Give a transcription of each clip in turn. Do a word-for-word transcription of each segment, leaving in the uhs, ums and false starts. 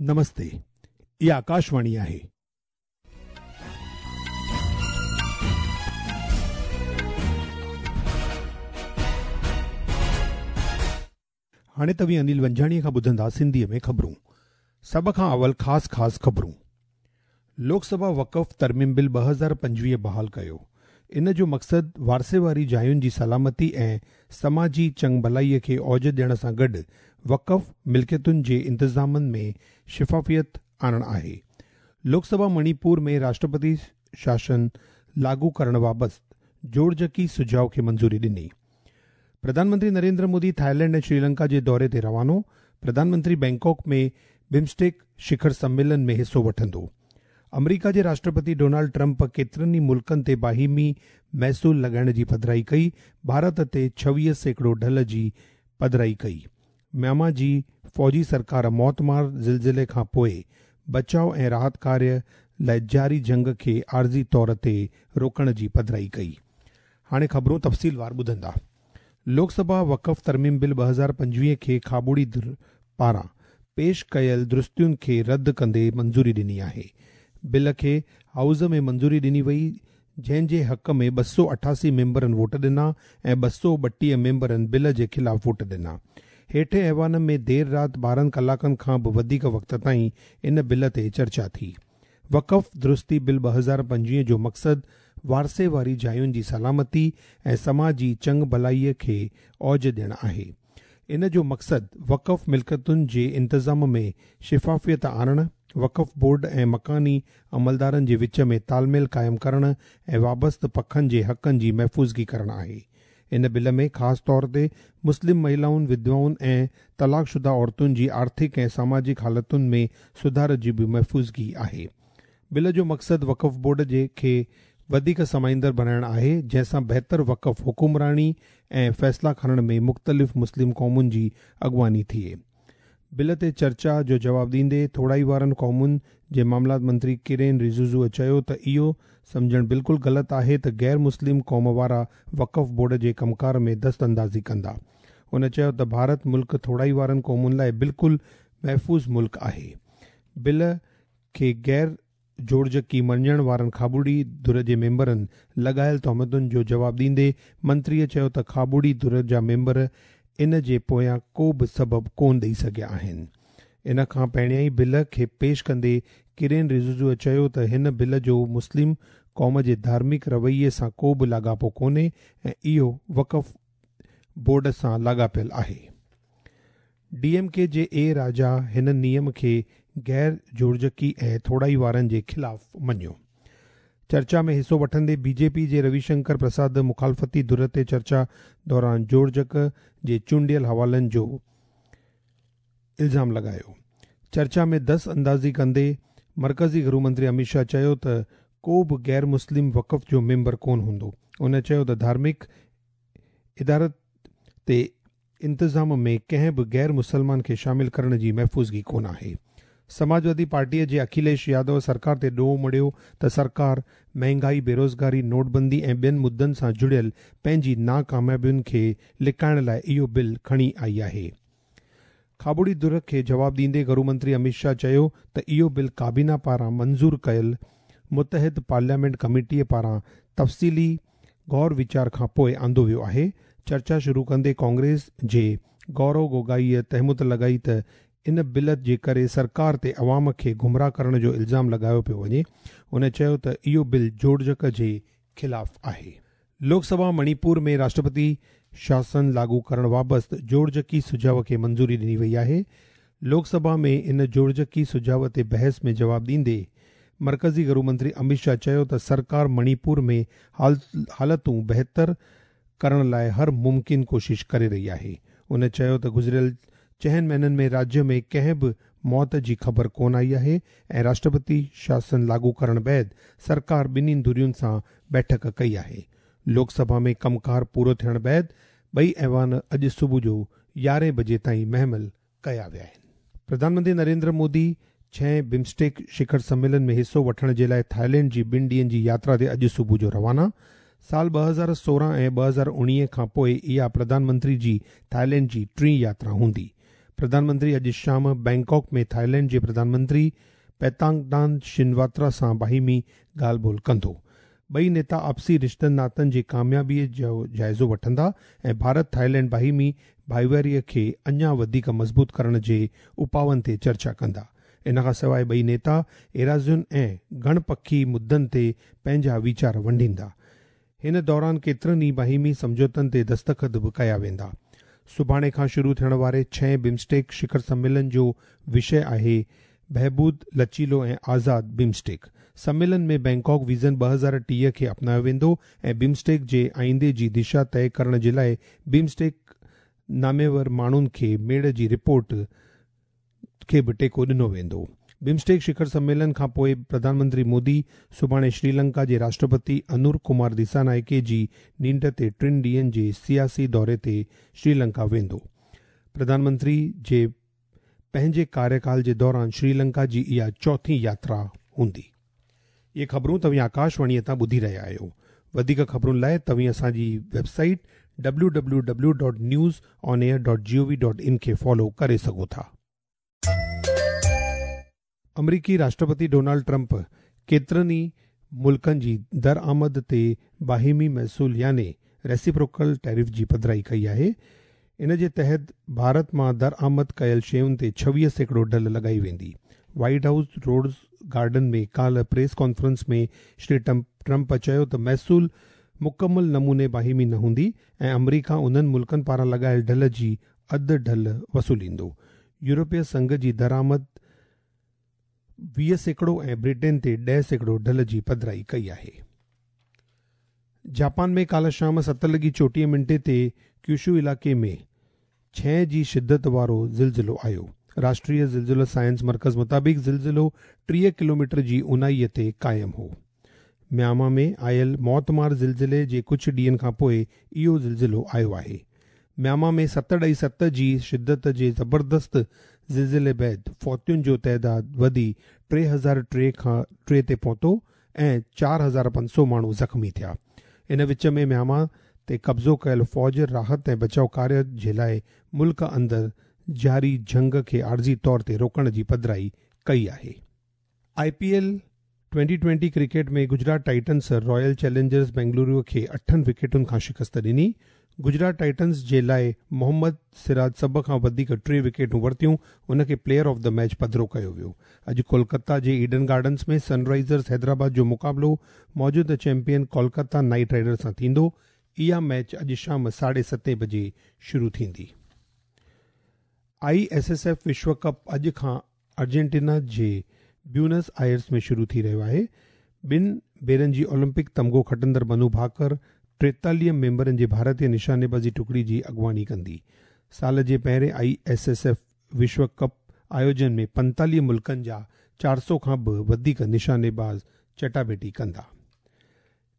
نمستي، اها آڪاشواڻي آهي. هاڻي توهين انيل ونجاڻيءَ کان ٻڌندا سنڌيءَ ۾ خبرون. سڀ کان اول خاص خاص خبرون. لوڪ سڀا وقف ترميم بل ٻه هزار پنجويهه بحال ڪيو. ان جو مقصد وارثي واري جاين جي سلامتي ۽ سماجي چڱ ڀلائيءَ کي اوج ڏيڻ سان گڏ وقف ملڪيتن جي انتظامن ۾ شفافيت آڻڻ آهي. لوڪ سڀا مڻيپور ۾ راشٽرپتي شاسن لاڳو ڪرڻ بابت جوڙجڪي سجهاءُ کي منظوري ڏني. پرڌان منتري نريندر مودي ٿائيلينڊ ۽ شري لنڪا جي دوري تي روانو. پرڌان منتري بينڪاڪ ۾ بمسٽيڪ شکر سميلن ۾ حصو وٺندو. آمريڪا جي راشٽرپتي ڊونالڊ ٽرمپ ڪيترن ئي ملڪن تي باهمي محصول لڳائڻ جي پڌرائي ڪئي. ڀارت تي ڇويهه سيڪڙو ڍل جي پڌرائي ڪئي. ميانما جي فوجي سرڪار موتمار زلزلي کان پوءِ بچاءُ ۽ راحت ڪاريه لاءِ جاري جنگ کي عارضي طور تي روڪڻ جي پڌرائي ڪئي. هاڻي خبرون تفصيلوار ٻڌندا. لوڪ سڀا وقف ترميم بل ٻه هزار پنجويهه کي کاٻوڙي ڌر پاران پيش ڪيل درستين کي رد ڪندي منظوري ڏني آهي. بل کي هائوس ۾ منظوري ڏني وئي، جنهن جي حق ۾ ٻه سؤ اٺاسي ميمبرن ووٽ ڏنا ۽ ٻه سؤ ٻٽيهه ميمبرن بل جي خلاف ووٽ ڏنا. هيٺين ايوان ۾ دير رات ٻارهن ڪلاڪن کان به وڌيڪ وقت تائين ان بل تي چرچا ٿي. وقف درستي بل ٻه هزار پنجويهه جو مقصد وارثي واري جاين جي سلامتي ۽ سماجي چڱ ڀلائيءَ کي اوج ڏيڻ آهي. ان جو مقصد وقف ملڪيتن جي انتظام ۾ شفافيت آڻڻ، وقف بورڊ ۽ مڪاني عملدارن جي وچ ۾ تالميل قائم ڪرڻ ۽ وابسته پکن جي حقن جي محفوظگي ڪرڻ آهي. ان بل ۾ خاص طور تي مسلم مهلائن، وڌوائن ۽ طلاق شده عورتن جي آرٿڪ ۽ ساماجڪ حالتن ۾ سڌار جي به محفوظگي آهي. بل جو مقصد وقف بورڊ جي کي وڌيڪ سمائيندڙ بڻائڻ آهي، جنهن سان بهتر وقف حڪمراني ۽ فيصلا کڻڻ ۾ مختلف مسلم قومن جي اڳواڻي ٿئي. بل تي چرچا جو جواب ڏيندي ٿورائي وارن قومن جي معاملات منتري ڪرين رجيجوءَ چيو ته اهو سمجهڻ بلڪل غلط آهي ته غير مسلم قوم وارا وقف بورڊ جي ڪمڪار ۾ دست اندازي ڪندا. هن چيو ته ڀارت ملڪ ٿورائي وارن قومن لاءِ بلڪل محفوظ ملڪ آهي. بل کي غير جوڙجڪي مڃڻ وارن کاٻوڙي ڌر جي ميمبرن لڳايل تهمتن جو جواب ڏيندي منتريءَ چيو ته کاٻوڙي ڌر جا ميمبر ان جي پويان ڪو به سبب ڪونه ڏيئي سگهيا آهن. ان کان پهريان ئي بل کي پيش ڪندي ڪرين رجيجوءَ چيو ته هن بل جو مسلم قوم جي ڌارمڪ رويي سان ڪو به لاڳاپو ڪونهي ۽ اهو وقف بورڊ سان لاڳاپيل آهي. ڊي ايم ڪي جي اي راجا هن نيم کي غير جوڙجڪي ۽ ٿورائي وارن جي خلاف مڃيو. چرچا ۾ حصو وٺندي بي جي پي جي روي شنڪر پرساد مخالفتي ڌر تي چرچا دوران جوڙجڪ جي چونڊيل حوالن جو الزام لڳايو. چرچا ۾ دست اندازي ڪندي مرڪزي گهرو منتري امت شاهه چيو ته ڪو به غير مسلم وقف جو ميمبر ڪونه هوندو. هن چيو ته ڌارمڪ ادارت تي انتظام ۾ ڪنهن به غير مسلمان کي شامل ڪرڻ جي محفوظگي ڪونه آهي. سماجوادي پارٽيءَ جي اکليش يادو سرڪار تي ڏوهه مڙهيو ته سرڪار مهانگائي، بيروزگاري، نوٽبندي ۽ ٻين مدن سان جڙيل پنهنجي ناڪاميابين کي لڪائڻ لاءِ اهو بل کڻي آئي آهي. کاٻوڙي ڌر کي جواب ڏيندي گهرو منتري امت شاهه چيو ته اهو بل ڪابينا پاران منظور ڪيل متحد پارليامينٽ ڪميٽيءَ پاران تفصيلي غور ويچار کان پوءِ آندو ويو آهي. چرچا شروع ڪندي ڪانگريس جي گورو گوگائيءَ تهمت لڳائي ته ان بل جي ڪري سرڪار تي عوام کي گمراهه ڪرڻ جو الزام لڳايو پيو وڃي. هن چيو ته اهو بل جوڙجڪ جي خلاف آهي. لوڪ سڀا مڻيپور ۾ راشٽرپتي شاسن لاڳو ڪرڻ بابت جوڙجڪي سجهاءُ کي منظوري ڏني وئي آهي. لوڪ سڀا ۾ ان جوڙجڪي سجهاءُ تي بحث ۾ جواب ڏيندي مرڪزي گهرو منتري امت شاهه چيو ته سرڪار مڻيپور ۾ حالتون بهتر ڪرڻ لاءِ هر ممڪن ڪوشش ڪري رهي آهي. هن چيو ته گذريل چئن مهينن ۾ راجيه ۾ ڪنهن به موت جي خبر ڪونه آئي آهي ۽ راشٽرپتي شاسن لاڳو ڪرڻ بعد سرڪار ٻنهي ڌرين سان بيٺڪ ڪئي آهي. لوڪ سڀا ۾ ڪمڪار پورو ٿيڻ بعد ٻئي ايوان اڄ صبح جو يارهين بجي تائين مهمل ڪيا ويا آهن. پرڌان منتري نريندر مودي ڇهين بمسٽيڪ شکر سميلن ۾ حصو وٺڻ جي لاءِ ٿائيلينڊ جي ٻن ڏينهن جي ياترا تي اڄ صبح جو روانا. سال ٻه هزار سورهن ۽ ٻه هزار اڻويهه کان پوءِ اها پرڌان منتري جي ٿائيلينڊ جي ٽين ياترا هوندي. प्रधानमंत्री अॼु शाम बैंकॉक में थाईलैंड जे प्रधानमंत्री पैतांगदान शिनवात्रा सां बाहिमी ॻाल्हि ॿोल कंदो। ॿई नेता आपसी रिश्तनि नातनि जी कामयाबीअ जो जाइज़ो वठंदा ऐं भारत थाईलैंड बाहिमी भाईवारीअ खे अञा वधीक मज़बूत करण जे उपाउनि ते चर्चा कंदा। इन खां सवाइ ॿई नेता एराज़ियुनि ऐं गणपखी मुद्दनि ते पंहिंजा वीचार वंडींदा। हिन दौरान केतिरनि ई बाहिमी सम्झौतनि ते दस्तख़त बि कया वेंदा। सुभाणे खां शुरू थियण वारे छहें बिम्स्टेक शिखर सम्मेलन जो विषय आहे बहबूद, लचीलो ऐं आज़ाद बिम्स्टेक। सम्मेलन में बैंकॉक विज़न ॿ हज़ार टीह खे अपनायो वेंदो ऐं बिम्स्टेक जे आईंदे जी दिशा तय करण जे लाइ बिम्स्टेक नामेवर माण्हुनि खे मेड़ जी रिपोर्ट खे बि टेको ॾिनो वेंदो। बिम्स्टेक शिखर सम्मेलन खां पोइ प्रधानमंत्री मोदी सुभाणे श्रीलंका जे राष्ट्रपति अनुर कुमार दिसानायके जी नींड ते टिनि ॾींहनि जे सियासी दौरे ते श्रीलंका वेंदो। प्रधानमंत्री जे पंहिंजे कार्यकाल जे दौरान श्रीलंका जी इहा चौथी यात्रा हूंदी। इहे ख़बरूं तव्हीं आकाशवाणीअ तां ॿुधी रहिया आहियो। वधीक ख़बरुनि लाइ तव्हीं असांजी website W W W dot news on air dot G O V dot in खे फॉलो करे सघो था। अमरीकी राष्ट्रपति डोनाल्ड ट्रंप केतिरनि ई मुल्कनि जी दरआमद ते बाहिमी महसूल यानी रेसिप्रोकल टैरिफ जी पधराई कई आहे। इन जे तहत भारत मां दरआमद कयल शयुनि ते छवीह सैकड़ो ढल लॻाई वेंदी। वाइट हाउस रोड्स गार्डन में काल्ह प्रेस कॉन्फ्रेंस में श्री ट्रंप चयो त महसूल मुकमल नमूने बाहिमी न हूंदी ऐं अमरीका उन्हनि मुल्कनि पारां लॻायल ढल जी अधु ढल वसूलींदो। यूरोपीय संघ जी दरामद वीह सैकड़ो ऐं ब्रिटेन ते ॾह सैकड़ो ढल जी पधराई कई आहे। जापान में काल्ह शाम सत लॻी चोटीह मिंटे ते क्यूशू इलाइक़े में छह जी शिद्दत वारो ज़िलज़िलो आयो। राष्ट्रीय ज़िलज़िलो साइंस मर्कज़ मुताबिक़ ज़िलज़िलो टीह किलोमीटर जी उनाईअ ते क़ाइमु हो। म्यांमा में आयल मौतमार ज़िलज़िले जे कुझु ॾींहनि खां पोइ इहो ज़िलज़िलो आयो आहे। म्यांमा में सत ॾई सत जी शिद्दत जे ज़बरदस्त ज़िलज़िले बाद फौतियुनि जो तादाद वधी टे हज़ार टे खां टे ते पहुतो ऐं चारि हज़ार पंज सौ माण्हू ज़ख़्मी थिया। इन विच में म्यांमा ते कब्ज़ो कयल फ़ौज राहत ऐं बचाव कार्य जे लाइ मुल्क अंदरि जारी जंग खे आर्ज़ी तौर ते रोकण जी पधराई कई आहे। I P L twenty twenty cricket में Gujarat Titans Royal Challengers Bengaluru खे अठनि विकेटुनि खां शिकस्त ॾिनी। गुजरात टाइटन्स जे लाइ मोहम्मद सिराज सभ खां वधीक टे विकेटूं वरितियूं, उनखे प्लेयर ऑफ the match पधरो कयो वियो। अॼु कोलकाता जे ईडन गार्डन्स में सनराइज़र्स हैदराबाद जो मुक़ाबिलो मौजूदा चैंपियन कोलकाता नाइट राइडर्स सां थींदो। इहा मैच अॼु शाम साढे सतें बजे शुरू थींदी। I S S F विश्व कप अॼु खां अर्जेंटीना जे ब्यूनस आयर्स में शुरू थी रहियो आहे। ॿिनि भेरनि जी ओलंपिक तमगो खटंदड़ मनु भाकर टेतालीह मेंबरनि जे भारतीय निशानेबाज़ी टुकड़ी जी अॻुवाणी कंदी। साल जे पहिरें I S S F विश्व कप आयोजन में पंतालीह मुल्कनि जा चारि सौ खां बि वधीक निशानेबाज़ चटाभेटी कंदा।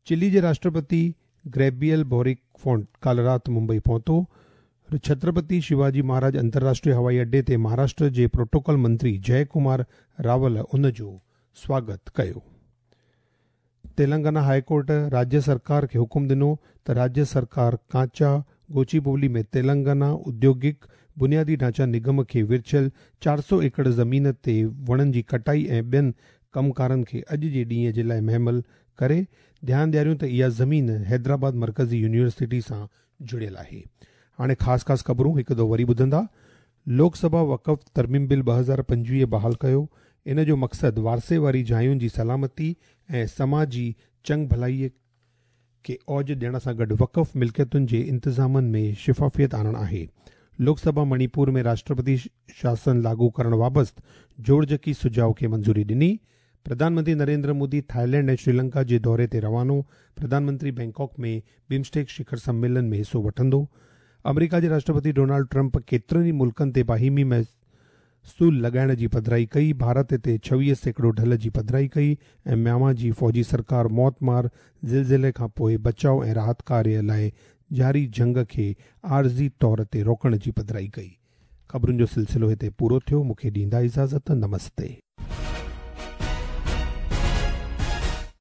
चिली जे राष्ट्रपति ग्रेबियल बोरिक फोंट काल्ह राति मुंबई पहुतो। छत्रपति शिवाजी महाराज अंतर्राष्ट्रीय हवाई अड्डे ते महाराष्ट्र जे प्रोटोकॉल मंत्री जय कुमार रावल उन जो स्वागत कयो। तेलंगाना हाईकोर्ट राज्य सरकार खे हुकुम ॾिनो त राज्य सरकार कांचा गोचीबोली में तेलंगाना औद्योगिक बुनियादी ढांचा निगम खे विरछियल चारि सौ एकड़ ज़मीन ते वणनि जी कटाई ऐं ॿियनि कमकारनि खे अॼु जे ॾींहं जे लाइ महमल करे। ध्यानु ॾियारियूं त इहा ज़मीन हैदराबाद मर्कज़ी यूनिवर्सिटी सां जुड़ियल आहे। हाणे ख़ासि ख़ासि ख़बरूं हिकु दफ़ो वरी ॿुधंदा। लोकसभा वक़फ़ तरमीम बिल ॿ हज़ार पंजवीह बहाल कयो। इन जो मक़सदु वारसे वारी जायुनि जी सलामती ऐं समाजी चंग भलाईअ खे औज ॾियण सां गॾु वक़फ़ मिल्कियतुनि जे इंतिज़ामनि में शफ़ाफ़ियत आणणु आहे। लोकसभा मणिपुर में राष्ट्रपति शासन लागू करण बाबति जोड़जकी सुझाव खे मंज़ूरी ॾिनी। प्रधानमंत्री नरेंद्र मोदी थाईलैंड ऐं श्रीलंका जे दौरे ते रवानो। प्रधानमंत्री बैंकॉक में बिम्स्टेक शिखर सम्मेलन में हिसो वठंदो। अमरीका जे राष्ट्रपति डोनाल्ड ट्रंप केतिरनि ई मुल्कनि ते बाहिमी महसूल लॻाइण जी पधराई कई। भारत ते छवीह सैकड़ो ढल जी पधराई कई ऐं म्यांमा जी फ़ौजी सरकार मौतमार ज़िलज़िले खां पोइ बचाव ऐं राहत कार्य लाइ जारी जंग खे आर्ज़ी तौर ते रोकण जी पधराई कई। ख़बरुनि जो सिलसिलो हिते पूरो थियो। मूंखे ॾींदा इजाज़त। नमस्ते।